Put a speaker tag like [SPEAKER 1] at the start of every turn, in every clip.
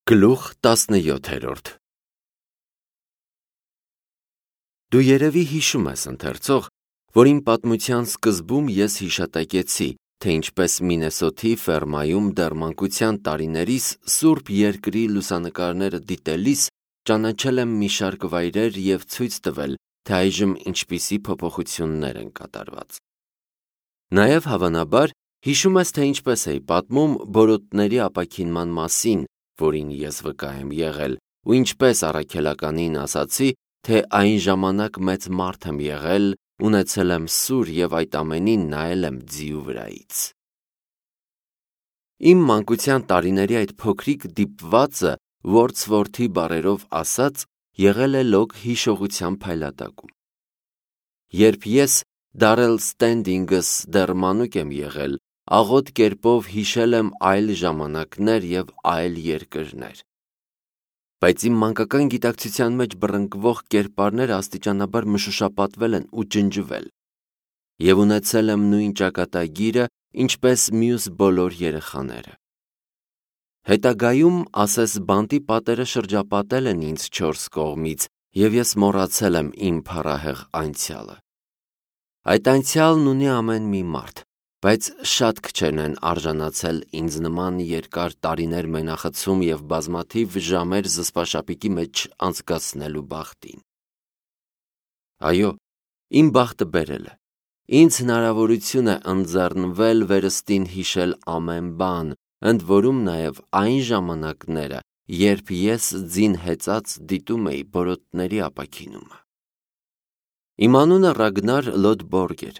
[SPEAKER 1] Գլուխ 17 Դու երևի հիշում ես, ընթերցող, որ իմ պատմության սկզբում ես հիշատակեցի, թե ինչպես Մինեսոթի ֆերմայում դեռ մանկության տարիներիս Սուրբ Երկրի լուսանկարները դիտելիս ճանաչել եմ մի շարք վայրեր և ցույց տվել, թե այժմ ինչպիսի փոփոխություններ են կատարված։ Նաև հավանաբար հիշում ես, թե ինչպես էի պատմում բորոտների ապաքինման մասին, որին ես վկա եմ եղել, ու ինչպես առաքելականին ասացի, թե այն ժամանակ մեծ մարդ եմ եղել, ունեցել եմ սուր և այդ ամենին նայել եմ ձիու վրայից։ Իմ մանկության տարիների այդ փոքրիկ դիպվածը Wordsworth-ի բառերով ասած եղել է լոկ հիշողության փայլատակում։ Երբ ես Դարել Ստենդինգս դեռ մանուկ եմ եղել, աղոտ կերպով հիշել եմ այլ ժամանակներ և այլ երկրներ։ Բայց իմ մանկական գիտակցության մեջ բռնկվող կերպարները աստիճանաբար մշուշապատվել են ու ջնջվել, և ունեցել եմ նույն ճակատագիրը, ինչպես մյուս բոլոր երեխաները։ Հետագայում, ասես բանտի պատերը շրջապատել են ինձ չորս կողմից, և ես մոռացել եմ իմ փառահեղ անցյալը։ Այդ անցյալն ունի ամեն մի մարդ, բայց շատ քչերն են արժանացել ինձ նման երկար տարիներ մենախցում և բազմաթիվ ժամեր զսպաշապիկի մեջ անցկացնելու բախտին։ Այո, իմ բախտը բերել է։ Ինձ հնարավորություն է ընձեռնվել վերստին հիշել ամեն բան, ընդ որում նաև այն ժամանակները, երբ ես ձին հեծած դիտում էի բորոտների ապաքինումը։ Իմ անունը Ռագնար Լոդբորգ էր,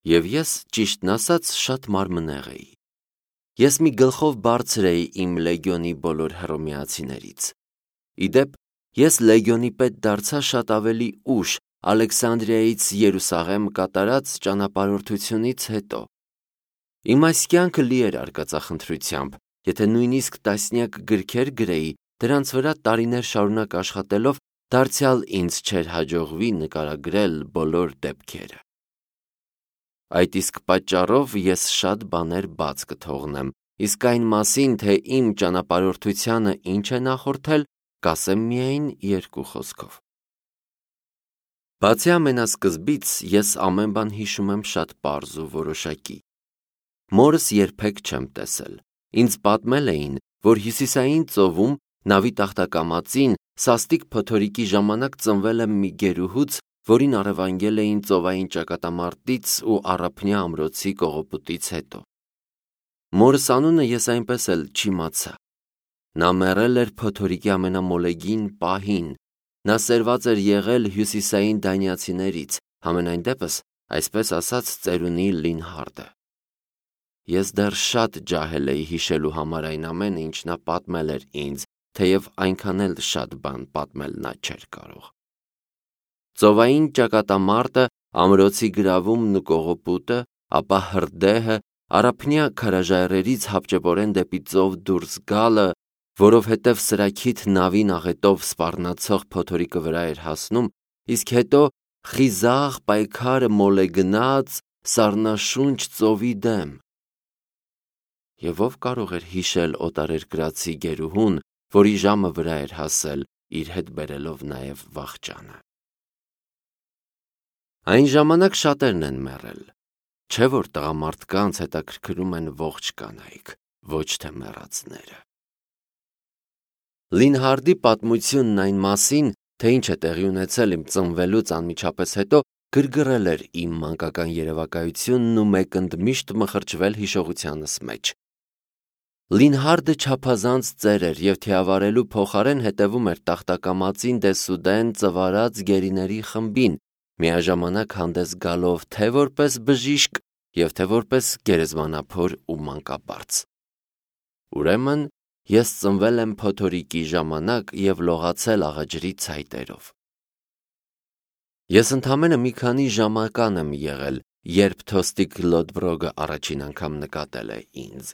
[SPEAKER 1] և ես, ճիշտն ասած, շատ մարմնեղ էի։ Ես մի գլխով բարձր էի իմ լեգիոնի բոլոր հռոմեացիներից։ Ի դեպ, ես լեգիոնի պետ դարձա շատ ավելի ուշ, Ալեքսանդրիայից Երուսաղեմ կատարած ճանապարհորդությունից հետո։ Իմ այս կյանքը լի էր արկածախնդրությամբ, եթե նույնիսկ տասնյակ գրքեր գրեի, դրանց վրա տարիներ շարունակ աշխատելով, դարձյալ ինձ չէր հաջողվի նկարագրել բոլոր դեպքերը։ Այդ իսկ պատճառով ես շատ բաներ բաց կթողնեմ, իսկ այն մասին, թե իմ ճանապարհորդությանը ինչ է նախորդել, կասեմ միայն երկու խոսքով։ Բացի ամենասկզբից, ես ամեն բան հիշում եմ շատ պարզ ու որոշակի։ Մորս երբեք չեմ տեսել։ Ինձ պատմել էին, որ Հյուսիսային ծովում, նավի տախտակամածին, սաստիկ փոթորիկի ժամանակ ծնվել եմ մի գերուհուց, որին առևանգել էին ծովային ճակատամարտից ու Առափնյա ամրոցի կողոպուտից հետո։ Մորս անունը ես այնպես էլ չիմացա։ Նա մեռել էր փոթորիկի ամենամոլեգին պահին։ Նա սերված էր եղել հյուսիսային դանիացիներից, համենայն դեպս, այսպես ասած, ծերունի Լինհարդը։ Ես դեռ շատ ջահել էի հիշելու համար այն ամենը, ինչ նա պատմել էր ինձ, թեև այնքան էլ շատ բան պատմել նա չէր կարող։ Ծովային ճակատամարտը, ամրոցի գրավումն ու կողոպուտը, ապա հրդեհը, Առափնյա քարաժայռերից հապճեպորեն դեպի ծով դուրս գալը, որովհետև սրաքիթ նավին աղետով սպառնացող փոթորիկը վրա էր հասնում, իսկ հետո խիզախ պայքարը մոլեգնած սառնաշունչ ծովի դեմ։ Եվ ով կարող էր հիշել օտարերկրացի գերուհուն, որի ժամը վրա էր հասել, իր հետ բերելով նաև վախճանը։ Այն ժամանակ շատերն են մեռել, չէ՞ որ տղամարդկանց հետաքրքրում են ողջ կանայք, ոչ թե մեռածները։ Լինհարդի պատմությունն այն մասին, թե ինչ է տեղի ունեցել իմ ծնվելուց անմիջապես հետո, գրգռել էր իմ մանկական երևակայությունն ու մեկընդմիշտ մխրճվել հիշողությանս մեջ։ Լինհարդը չափազանց ծեր էր և թիավարելու փոխարեն հետևում էր տախտակամածին դեսուդեն ծվարած գերիների խմբին, միաժամանակ հանդես գալով թե որպես բժիշկ և թե որպես գերեզմանափոր ու մանկաբարձ։ Ուրեմն, ես ծնվել եմ փոթորիկի ժամանակ և լողացել աղաջրի ցայտերով։ Ես ընդամենը մի քանի ժամական եմ եղել, երբ Թոստիկ Լոդբրոգը առաջին անգամ նկատել է ինձ։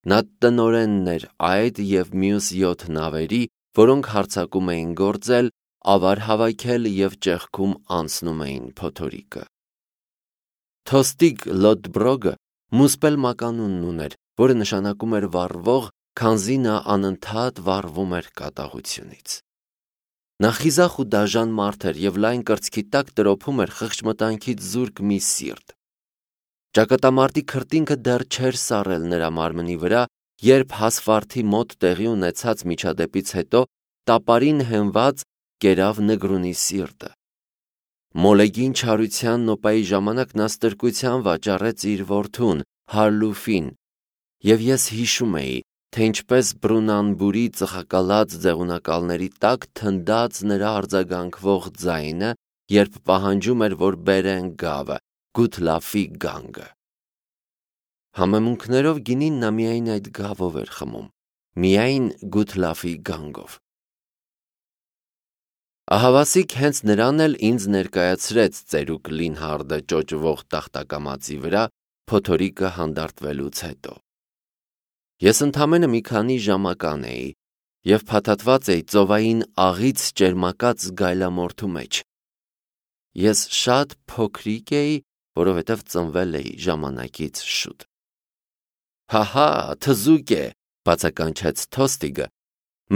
[SPEAKER 1] Նա տնօրենն էր այդ և մյուս 7 նավերի, որոնք հարձակում էին գործել, ավար հավաքել և ճեղքում անցնում էին փոթորիկը։ Թոստիկ Լոդբրոգը մուսպել մականունն ուներ, որը նշանակում էր վառվող քանզի նա անընդհատ վառվում էր կատաղությունից։ Նա խիզախ ու դաժան մարդ էր և լայն կրծքի տակ տրոփում էր խղճմտանքից զուրկ մի սիրտ։ Ճակատամարտի քրտինքը դեռ չէր սառել նրա մարմնի վրա, երբ հասվարդի մոտ տեղի ունեցած միջադեպից հետո տապարին հենված կերավ Նգրունի սիրտը։ Մոլեգին չարության նոպայի ժամանակ նա ստրկության վաճառեց իր որդուն Հարլուֆին, և ես հիշում էի, թե ինչպես Բրունանբուրի ծխակալած ձեղունակալների տակ թնդաց նրա արձագանքվող ձայնը, երբ պահանջում էր, որ բերեն գավը, Գութլաֆի գանգը։ Համեմունքներով գինին նա միայն այդ գավով էր խմում, միայն Գութլաֆի գանգով։ Ահավասիկ հենց նրան էլ ինձ ներկայացրեց ծերուկ Լինհարդը ճոճվող տախտակամածի վրա փոթորիկը հանդարտվելուց հետո։ Ես ընդամենը մի քանի ժամական էի և փաթաթված էի ծովային աղից ճերմակած գայլամորթու մեջ։ Ես շատ փոքրիկ էի, որովհետև ծնվել էի ժամանակից շուտ։ Հահա, թզուկ է, բացականչեց Թոստիգը,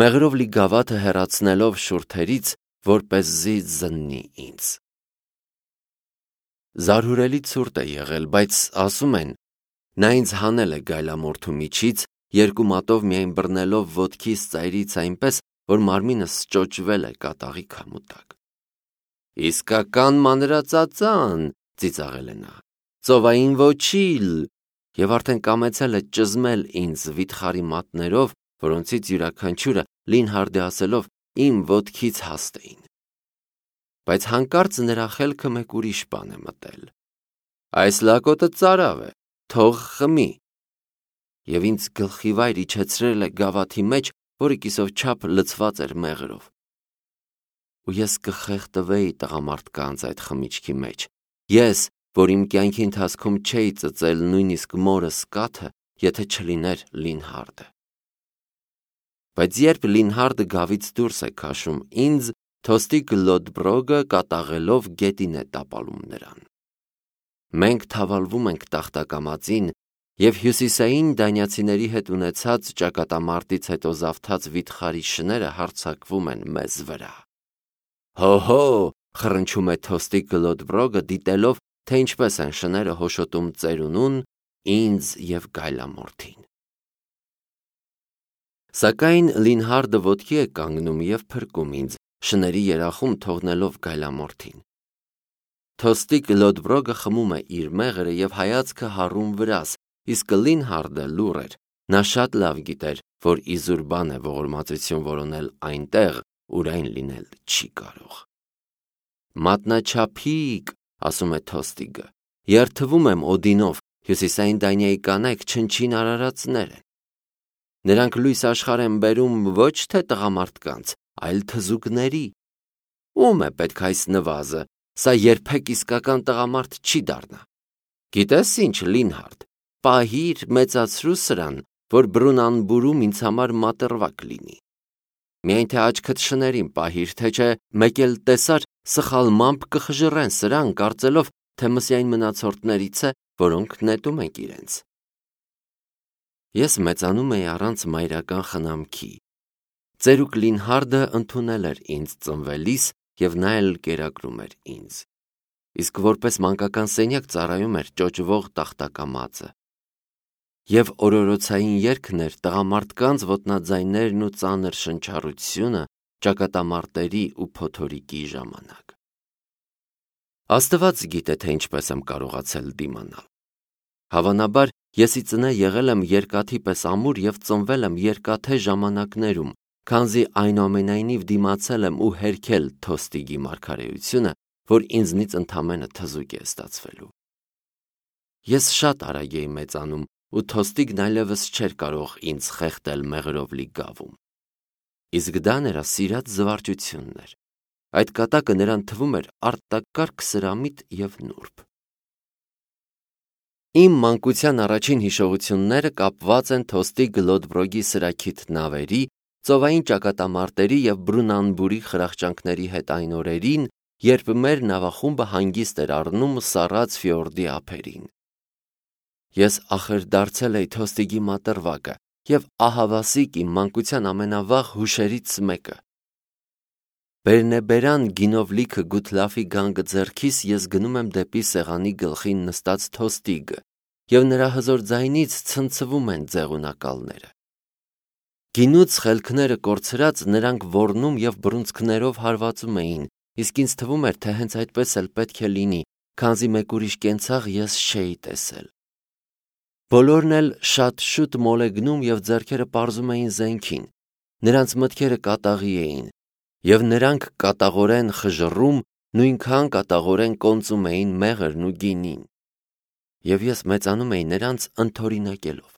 [SPEAKER 1] մեղրով լի գավաթը հեռացնելով շուրթերից, որպեսզի զննի ինձ։ Զարհուրելի ցուրտ է եղել, բայց ասում են, նա ինձ հանել է գայլամորթու միջից, երկու մատով միայն բռնելով ոտքիս ծայրից այնպես, որ մարմինս ճոճվել է կատաղի քամու տակ։ Իսկական մանրածածան, ծիծաղել է նա, ծովային ոչիլ, և արդեն կամեցել է ճզմել ինձ վիթխարի մատներով, որոնցից յուրաքանչյուրը Լինհարդի ասելով իմ ոտքից հաստ էին։ Բայց հանկարծ նրա խելքը մեկ ուրիշ բան է մտել։ Այս լակոտը ծարավ է, թող խմի։ Եվ ինձ գլխիվայր իջեցրել է գավաթի մեջ, որը կիսով չափ լցված էր մեղրով։ Ու ես կխեղդվեի տղամարդկանց այդ խմիչքի մեջ, ես, որ իմ կյանքի ընթացքում չէի ծծել նույնիսկ մորս կաթը, եթե չլիներ Լինհարդը։ Բայց երբ Լինհարդը գավից դուրս է քաշում ինձ, Թոստիկ Լոդբրոգը կատաղելով գետին է տապալում նրան։ Մենք թավալվում ենք տախտակամածին, և հյուսիսային դանիացիների հետ ունեցած ճակատամարտից հետո զավթած վիթխարի շները հարձակվում են մեզ վրա։ Հո, խռնչում է Թոստիկ Լոդբրոգը, դիտելով, թե ինչպես են շները հոշոտում ծերունուն, ինձ և գայլամորթին։ Սակայն Լինհարդը ոտքի է կանգնում և փրկում ինձ, շների երախում թողնելով գայլամորթին։ Թոստիկ Լոդբրոգը խմում է իր մեղրը և հայացքը հառում վրաս, իսկ Լինհարդը լուռ էր, նա շատ լավ գիտեր, որ իզուր բան է ողորմածություն որոնել այնտեղ, ուր այն լինել չի կարող։ Մատնաչափիկ, ասում է Թոստիգը, երդվում եմ Օդինով, հյուսիսային Դանիայի կանայք չնչին արարածներ են։ Նրանք լույս աշխարհ են բերում ոչ թե տղամարդկանց, այլ թզուկների։ Ում է պետք այս նվազը, սա երբեք իսկական տղամարդ չի դառնա։ Գիտես ինչ, Լինհարդ, պահիր, մեծացրու սրան, որ Բրունանբուրում ինձ համար մատռվակ լինի։ Միայն թե աչքդ շներին պահիր, թե չէ մեկ էլ տեսար սխալմամբ կխժռեն սրան, կարծելով, թե մսյայն մնացորդներից է, որոնք նետում ենք իրենց։ Ես մեծանում էի առանց մայրական խնամքի։ Ծերուկ Լինհարդը ընդունել էր ինձ ծնվելիս և նա էլ կերակրում էր ինձ։ Իսկ որպես մանկական սենյակ ծառայում էր ճոճվող տախտակամածը։ Եվ օրորոցային երգն էր տղամարդկանց ոտնաձայներն ու ծանր շնչառությունը ճակատամարտերի ու փոթորիկի ժամանակ։ Աստված գիտե, թե ինչպես եմ կարողացել դիմանալ։ Հավանաբար, ես ի ծնե եղել եմ երկաթի պես ամուր և ծնվել եմ երկաթե ժամանակներում, քանզի այնուամենայնիվ դիմացել եմ ու հերքել Թոստիգի մարգարեությունը, որ ինձնից ընդամենը թզուկ է ստացվելու։ Ես շատ արագ էի մեծանում, ու Թոստիգն այլևս չէր կարող ինձ խեղդել մեղրով լի գավում։ Իսկ դա նրա սիրած զվարճությունն էր։ Այդ կատակը նրան թվում էր արտակարգ սրամիտ և նուրբ։ Իմ մանկության առաջին հիշողությունները կապված են Թոստիկ Լոդբրոգի սրաքիթ նավերի, ծովային ճակատամարտերի և Բրունանբուրի խրախճանքների հետ այն օրերին, երբ մեր նավախումբը հանգիստ էր առնում Սառած ֆյորդի ափերին։ Ես ախր դարձել էի Թոստիգի մատռվակը և ահավասիկ իմ մանկության ամենավաղ հուշերից մեկը։ Բերնեբերան գինով լիքը գութլաֆի գանգը ձեռքիս ես գնում եմ դեպի սեղանի գլխին նստած Թոստիգը, և նրա հզոր ձայնից ցնցվում են ձեղունակալները։ Գինուց խելքները կորցրած նրանք ոռնում և բռունցքներով հարվածում էին, իսկ ինձ թվում էր, թե հենց այդպես էլ պետք է լինի, քանզի մեկ ուրիշ կենցաղ ես չէի տեսել։ Բոլորն էլ շատ շուտ մոլեգնում և ձեռքերը պարզում էին զենքին, նրանց մտքերը կատաղի էին, և նրանք կատաղորեն խժռում, նույնքան կատաղորեն կոնծում էին մեղրն ու գինին։ Եվ ես մեծանում էի նրանց ընդօրինակելով։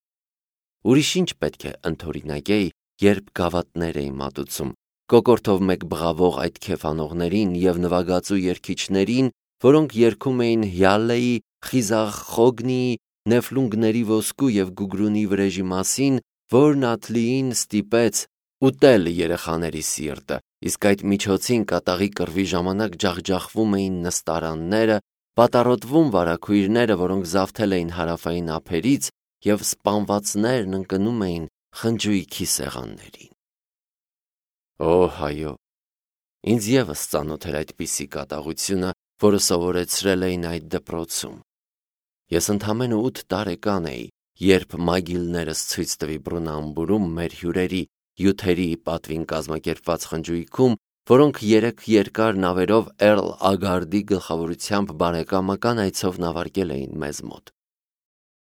[SPEAKER 1] Ուրիշ ինչ պետք է ընդօրինակեի, երբ գավաթներ էի մատուցում, կոկորդով մեկ բղավող այդ քեֆանողներին և նվագածու երգիչներին, որոնք երգում էին Հյալլեի, Խիզախ Խոգնիի, Նեֆլունգների ոսկու և Գուգրունի վրեժի մասին, որն Աթլիին ստիպեց ուտել երեխաների սիրտը, իսկ այդ միջոցին կատաղի կռվի ժամանակ ջախջախվում էին նստարանները, պատառոտվում վարագույրները, որոնք զավթել էին հարավային ափերից, և սպանվածներն ընկնում էին խնջույքի սեղաններին։ Օ, հայո, ինձ ևս ծանոթ էր այդպիսի կատաղությունը, որը սովորեցրել էին այդ դպրոցում։ Ես ընդամենը 8 տարեկան էի, երբ մագիլներս ցույց տվի Բռունամբուրում մեր հյուրերի յութերի պատվին կազմակերպված խնջույքում, որոնք 3 երկար նավերով Էռլ Ագարդի գլխավորությամբ բարեկամական այցով նավարկել էին մեզ մոտ։